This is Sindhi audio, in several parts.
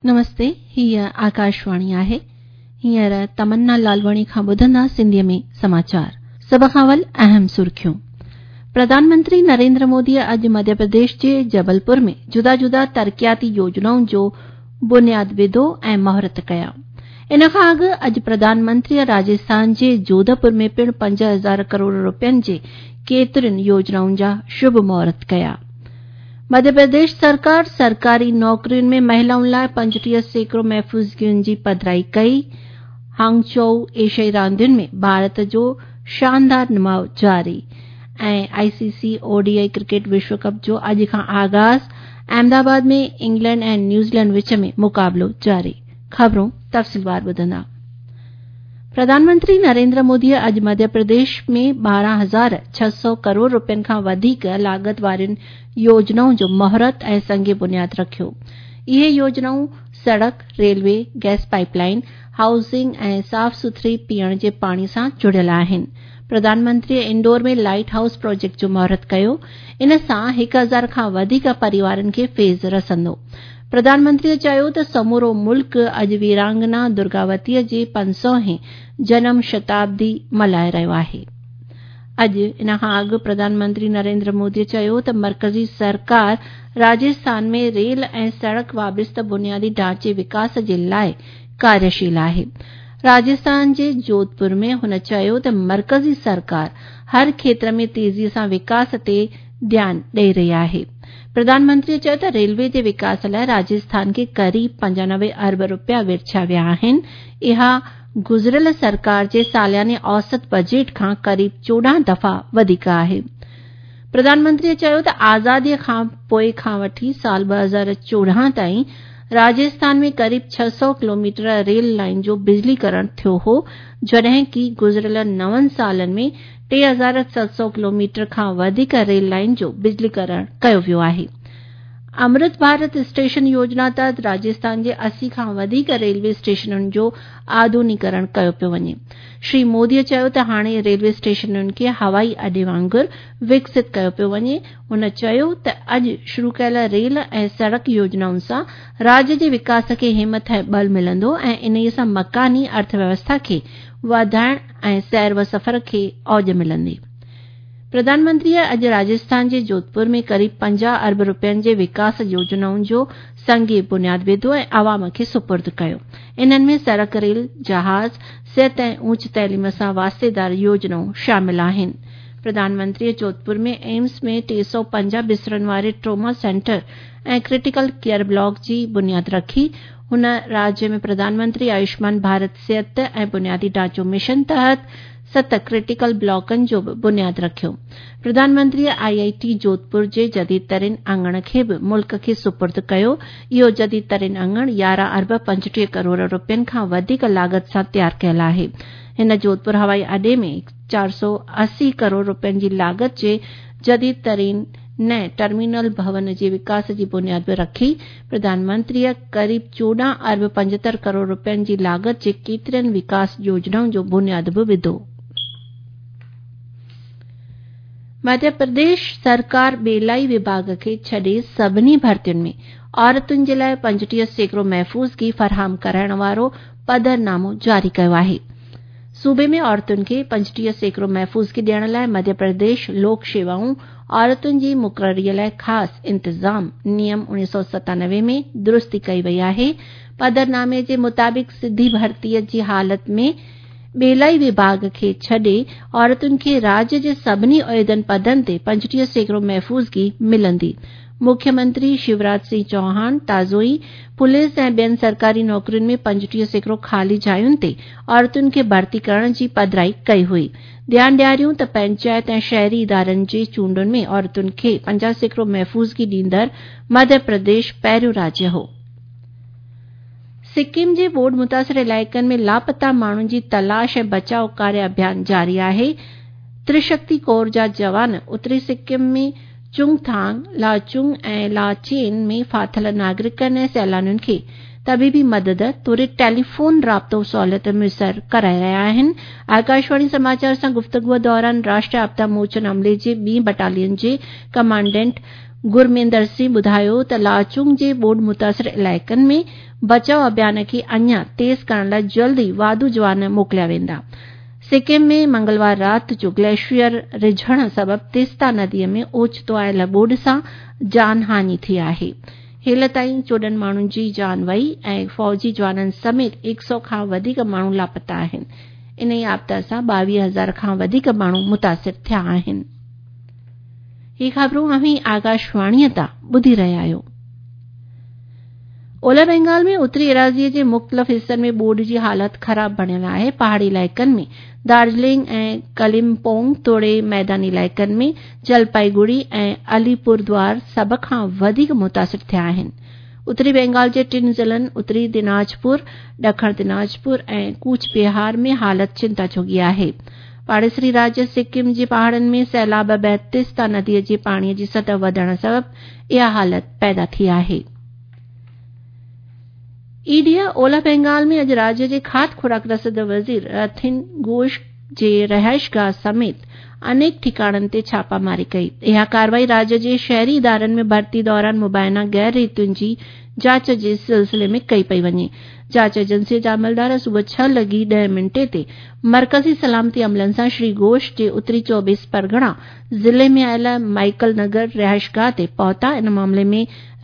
نمستي، هيء آڪاشواڻي آهي. هينئر تمنا لالواڻي کان ٻڌندا سنڌيء ۾ سماچار. سڀ کان اول اهم سرخيون. پرڌان منتري نريندر موديء اڄ مڌيه پرديش جي جبلپور ۾ جدا جدا ترقياتي يوجنائن جو بنياد وڌو ۽ مهورت ڪيا. ان کان اڳ اڄ پرڌان منتريء راجسٿان جي جوڌپور ۾ پڻ 5000 ڪروڙ رپين جي ڪيترين يوجنائن جا شڀ مهورت ڪيا. مڌيه پرديش سرڪار سرڪاري نوڪرين ۾ مهلائن لاء 35% محفوظگين جي پڌرائي ڪئي. هانگچوئو ايشيائي راندين ۾ ڀارت جو شاندار نماء جاري ۽ I C C O D I cricket وشو ڪپ جو اڄ کان آغاز، احمد آباد ۾ انگلينڊ ۽ نيوزيلينڊ وچ ۾ مقابلو جاري. خبرون تفصيلوار ٻڌندا. پرڌان منتري نريندر موديء اڄ مڌيه پرديش ۾ 12,600 ڪروڙ رپين کان وڌيڪ لاڳت وارين يوجنائن جو مهورت ۽ سنگ بنياد رکيو. اهي يوجنائون سڙڪ، railway, gas pipe line, housing ۽ صاف سٿري پيئڻ جي پاڻي سان جڙيل آهن. پرڌان منتريء انڊور ۾ لائيٽ هائوس پراجيڪٽ جو مهورت ڪيو. ان سان 1000 کان وڌيڪ پريوارن کي فيض رسندو. پرڌان منتريء چيو ته سمورو ملڪ اڄ ويرانگنا درگاوتيء جي 500 هين جنم شتابدي ملهائي رهيو آهي. اڄ ان کان اڳ پرڌان منتري نريندر موديء چيو ته مرڪزي سرڪار راجسٿان ۾ ريل ۽ سڙڪ وابسته بنيادي ڍانچي وڪاس جي لاء ڪاريشيل آهي. راجسٿان جي جوڌپور ۾ هن چيو ته مرڪزي سرڪار هر کيتر ۾ تيزيء سان وڪاس تي ڌيان ڏئي رهي آهي. پرڌان منتريء چيو ته ريلوي جي وڪاس لاء راجسٿان کي قريب 95 ارب رپيا ورڇيا ويا آهن، اها گذريل سرڪار جي سالياني اوسط بجيٽ کان قريب 14 دفعا وڌيڪ آهي. پرڌان منتريء چيو ته آزاديء کان پوء کان وٺي سال 2014 تائين راجسٿان ۾ قريب 600 ڪلوميٽر ريل لائين جو بجلي ڪرڻ ٿيو هو، جڏهن ڪي گذريل نون سالن ۾ 3700 ڪلوميٽر کان وڌيڪ ريل لائين جو بجلي ڪرڻ ڪيو ويو آهي. امرت ڀارت اسٽيشن يوجنا تحت راجسٿان جي 80 کان وڌيڪ ريلوي اسٽيشنن جو آڌونيڪرڻ ڪيو پيو وڃي. شري مودي چيو ته هاڻي ريلوي اسٽيشنن کي هوائي اڏي وانگر وڪست ڪيو پيو وڃي. هن چيو ته اڄ شروع ڪيل ريل ۽ سڙڪ يوجنائن سان راجيه جي وڪاس کي همٿ ۽ ٻل ملندو ۽ انهي سان مڪاني ارٿ ويوسٿا کي وڌائڻ ۽ سير و سفر کي اوج ملندي. پرڌان منتريء اڄ راجسٿان جي جوڌپور ۾ قريب 50 ارب رپين جي وڪاس يوجنائن جو سنگ بنياد وڌو ۽ عوام کي سپرد ڪيو. انهن ۾ سڙڪ، ريل، جهاز، صحت ۽ اوچ تعليم سان واسطيدار يوجنائون شامل آهن. پرڌان منتريء جوڌپور ۾ ايمس ۾ 350 بسترن واري trauma centre ۽ critical care block جي بنياد رکي. هن راجيه ۾ پرڌان منتري آيوشمان ڀارت صحت ۽ بنيادي ڍانچو مشن تحت ست ڪرٽيڪل بلاڪن جو به بنياد رکيو. پرڌان منتريء آء آء ٽي جوڌپور جي جديد ترين اڱڻ کي به ملڪ کي سپرد ڪيو. اهو جديد ترين اڱڻ 11 ارب 35 ڪروڙ رپين کان وڌيڪ لاڳت سان تيار ڪيل آهي. هن جوڌپور هوائي اڏي ۾ 480 ڪروڙ رپين جي لاڳت جي جديد ترين نئين ٽرمينل ڀون جي وڪاس جي بنياد به رکي. پرڌان منتريء قريب 14 ارب 75 ڪروڙ رپين جي لاڳت جي ڪيترين وڪاس يوجنائن جو بنياد به وڌو. مڌيه پرديش سرڪار ٻيلائي وڀاڳ کي ڇڏي سڀني ڀرتين ۾ عورتن جي لاء 35% محفوظگي فراهم ڪرائڻ وارو پڌرنامو جاري ڪيو آهي. صوبي ۾ عورتن کي 35% محفوظگي ڏيڻ لاء مڌيه پرديش لوڪ شيوائون عورتن جي مقرري لاء خاص انتظام نيم 1997 ۾ درستي ڪئي وئي آهي. پڌرنامي جي مطابق سڌي ڀرتي جي حالت ۾ ٻيلائي وڀاڳ کي ڇڏي عورتن کي راجيه جي سڀني عهدن پدن تي 35% محفوظگي ملندي. مکيه منتري شيوراج سنگهه چوهاڻ تازو ئي پوليس ۽ ٻين سرڪاري نوڪرين ۾ 35% خالي جاين تي عورتن کي ڀرتي ڪرڻ جي پڌرائي ڪئي هئي. ڌيان ڏياريون ته پئنچائت ۽ شهري ادارن جي چونڊن ۾ عورتن کي 50% محفوظگي ڏيندڙ مڌيه پرديش پهريون راجيه هو. سڪم جي ٻوڏ متاثر علائقن ۾ لاپتا ماڻهن جي تلاش ۽ بچاء ڪاريه اڀيان جاري آهي. ترشڪتي ڪور جا جوان اتري سڪم ۾ چونگٿانگ، لاچونگ ۽ لاچين ۾ ڦاٿل ناگرڪن ۽ سيلانين کي طبيبي مدد توڙي ٽيليفون رابطو سهولت ميسر ڪرائي رهيا آهن. آڪاشواڻي سماچار سان گفتگو دوران راشٽريه آپدا موچن عملي جي ٻين بٽالين جي ڪمانڊنٽ گرميندر سنگهه ٻڌايو ته لاچونگ جي ٻوڏ متاثر علائقن ۾ بچاء اڀيان کي اڃا تيز ڪرڻ لاء جلد ئي واڌو جوان موڪليا ويندا. سڪم ۾ منگلوار رات جو گليشيئر رجهڻ سبب تيستا ندي ۾ اوچتو آيل ٻوڏ سان جان هاڃي ٿي آهي. هيل تائين 14 ماڻهن جي جان وئي ۽ فوجي جوانن سميت 100 کان وڌيڪ ماڻهو لاپتا آهن. انهي آپدا سان 22,000 کان وڌيڪ ماڻهو متاثر ٿيا آهن. هي خبرون اوهين آڪاشواڻيء تان ٻڌي رهيا آهيو. اولهه بينگال ۾ اتري ايراضيء جي مختلف حصن ۾ ٻوڏ جي حالت خراب بڻيل آهي. پهاڙي علائقن ۾ دارجلنگ ۽ ڪلمپونگ توڙي ميداني علائقن ۾ جلپائيگڙي ۽ علي پور دوار سڀ کان وڌيڪ متاثر ٿيا آهن. اتري بينگال جي ٽن ضلعن اتري ديناجپور، ڏکڻ ديناجپور ۽ ڪوچ بهار ۾ حالت چنتا جوڳي آهي. پاڙيسري راجيه سڪم جي پهاڙن ۾ سيلاب بعد تيستا نديء جي پاڻي جي سطح وڌڻ سبب اها حالت پيدا ٿي آهي. اي ڊي اولهه بينگال ۾ اڄ راجيه جي کاڌ خوراڪ رسد وزير رٿين گهوش جي رهائشگاهه سميت انيڪ ٺڪاڻن تي ڇاپاماري ڪئي. اها ڪارروائي راجيه جي شهري ادارن ۾ ڀرتي دوران مبينا غير ريتين جي جاچ جي سلسلي ۾ ڪئي پئي وڃي. جاچ ايجنسي جا عملدار صبح ڇهه لڳي ڏهه منٽي تي مرڪزي سلامتي عملن سان شري گهوش جي اتري چوبيس پرڳڻا ضلعي ۾ آيل مائيڪل نگر رهائشگاهه تي پهتا. ان معاملي ۾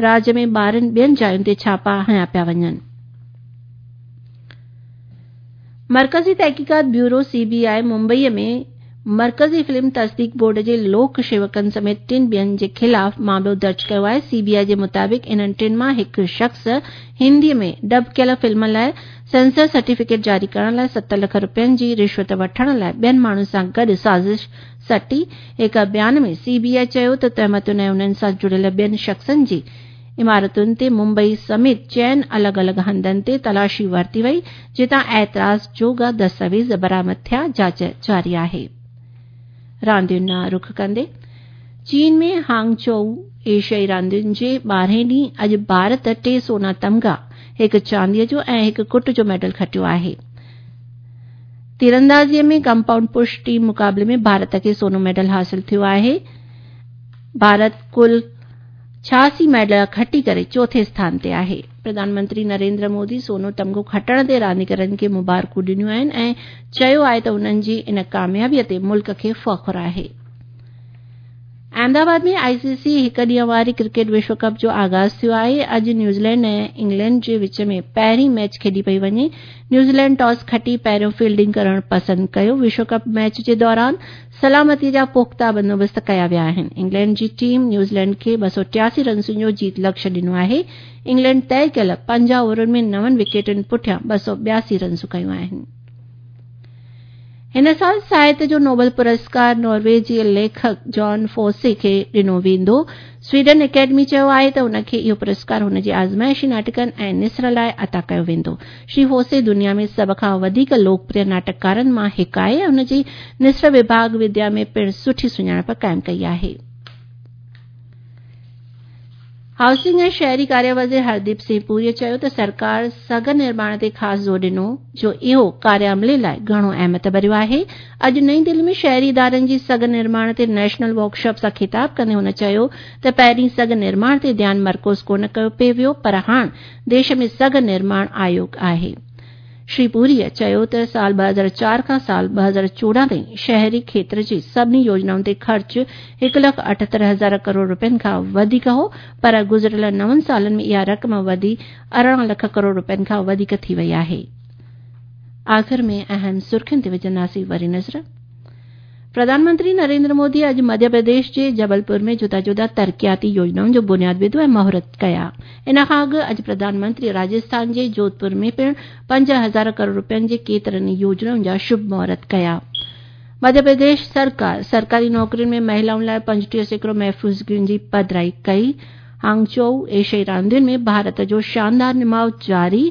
راجيه ۾ 12 ٻين جاين تي ڇاپا هنيا پيا وڃن. مرڪزي تحقيقات بيورو، سي بي آء، ممبئي ۾ مرڪزي فلم تصديق بورڊ جي لوڪ شيوڪن سميت ٽن ٻين جي خلاف معاملو درج ڪيو آهي. سي بي آء جي مطابق انهن ٽن مان هڪ شخص هندي ۾ ڊب ڪيل فلم لاء سينسر سرٽيفڪيٽ جاري ڪرڻ لاء 7 لک رپين جي رشوت وٺڻ لاء ٻين ماڻهن سان گڏ سازش سٽي. هڪ بيان ۾ سي بي آء چيو ته تهمتن ۽ انهن سان جڙيل ٻين شخصن جي عمارتن تي ممبئي سميت چئن الڳ الڳ هنڌن تي تلاشي ورتي وئي، جتان اعتراض جوڳا دستاويز برآمد ٿيا، جاچ جاري آهي. راندين ڏانهن رخ ڪندي چين ۾ هانگچوئو ايشيائي راندين جي ٻارهين ڏينهن اڄ ڀارت ٽي سونا تمغا، هڪ چانديء جو ۽ هڪ ڪٽ جو ميڊل کٽيو آهي. تيراندازيء ۾ ڪمپائونڊ پرش ٽيم مقابلي ۾ ڀارت کي سونو ميڊل حاصل ٿيو آهي. ڀارت ڪل 86 ميڊل کٽي ڪري چوٿين اسٿان تي آهي. پرڌان منتري نريندر مودي سونو تمغو کٽڻ تي رانديگرن کي مبارڪون ڏنيون آهن ۽ چيو آهي ته انهن جي ان ڪاميابي تي ملڪ کي فخر آهي. احمد آباد ۾ آء سي سي هڪ ڏينهن واري ڪرڪيٽ وشو ڪپ جو آغاز ٿيو آهي. اڄ نيوزيلينڊ ۽ انگلينڊ جي وچ ۾ پهرين ميچ کيڏي پئي وڃي. نيوزيلينڊ ٽاس کٽي پهريون فيلڊنگ ڪرڻ پسند ڪيو. وشو ڪپ ميچ جي دوران سلامتي جا پختا بندوبست ڪيا ويا آهن. انگلينڊ جي ٽيم نيوزيلينڊ کي 283 رنسن جو جيت لڪش ڏنو آهي. انگلينڊ طئي ڪيل 50 اوورن ۾ نون وڪيٽن پٺيان 282 رنسون ڪيون آهن. هن سال ساهت جو نوبل پرسڪار ناروي جي ليکڪ جان فوسي کي ڏنو ويندو. سويڊن اڪيڊمي چيو آهي ته هن کي اهو پرسڪار هن جي آزمائشي ناٽڪن ۽ نثر لاء عطا ڪيو ويندو. شري فوسي دنيا ۾ سڀ کان وڌيڪ لوڪپريه ناٽڪڪارن مان هڪ آهي ۽ هن جي نثر وڀاڳ وديا ۾ پڻ سٺي سڃاڻپ قائم ڪئي آهي. هائوسنگ ۽ شهري ڪاريه وزير هرديپ سنگهه پوريء چيو ته سرڪار سگهه نرماڻ تي خاص زور ڏنو جو اهو ڪاريه عملي لاء گهڻو اهميت ڀريو آهي. اڄ نئين دهلي ۾ شهري ادارن جي سگهه نرماڻ تي نيشنل ورڪشاپ سان خطاب ڪندي هن چيو ته پهرين سگهه نرماڻ تي ڌيان مرڪوز ڪونه ڪيو پئي ويو پر هاڻ ديش ۾ سگهه نرماڻ آيوگ آهي. شري پوريء چيو ته سال 2004 کان سال 2014 تائين شهري کيتر جي سڀني يوجنائن تي خرچ هڪ لک 78 هزار ڪروڙ رپين کان وڌيڪ هو پر گذريل نون سالن ۾ اها رقم وڌي 18 لک ڪروڙ رپين کان وڌيڪ ٿي وئي آهي. آخر ۾ اهم سرخين تي وجهنداسين وري نظر. پرڌان منتري نريندر مودي اڄ مڌيه پرديش جي جبلپور ۾ جدا جدا ترقياتي يوجنائن جو بنياد وڌو ۽ مهورت ڪيا. ان کان اڳ اڄ پرڌان منتري راجسٿان جي جوڌپور ۾ پڻ 5000 ڪروڙ رپين جي ڪيترن ئي يوجنائن جا شڀ مهورت ڪيا. مڌيه پرديش سرڪار سرڪاري نوڪرين ۾ مهلائن لاء 35% محفوظگين جي پڌرائي ڪئي. هانگچوئو ايشيائي راندين ۾ ڀارت جو شاندار نماء جاري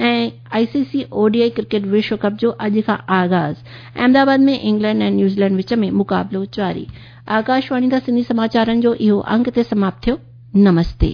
۽ I C C O D I cricket وشو ڪپ جو اڄ کان آغاز، احمد آباد ۾ انگلينڊ ۽ نيوزيلينڊ وچ ۾ مقابلو جاري. آڪاشواڻي تان سنڌي سماچارن جو اهو انگ هتي سماپت ٿيو. نمستي.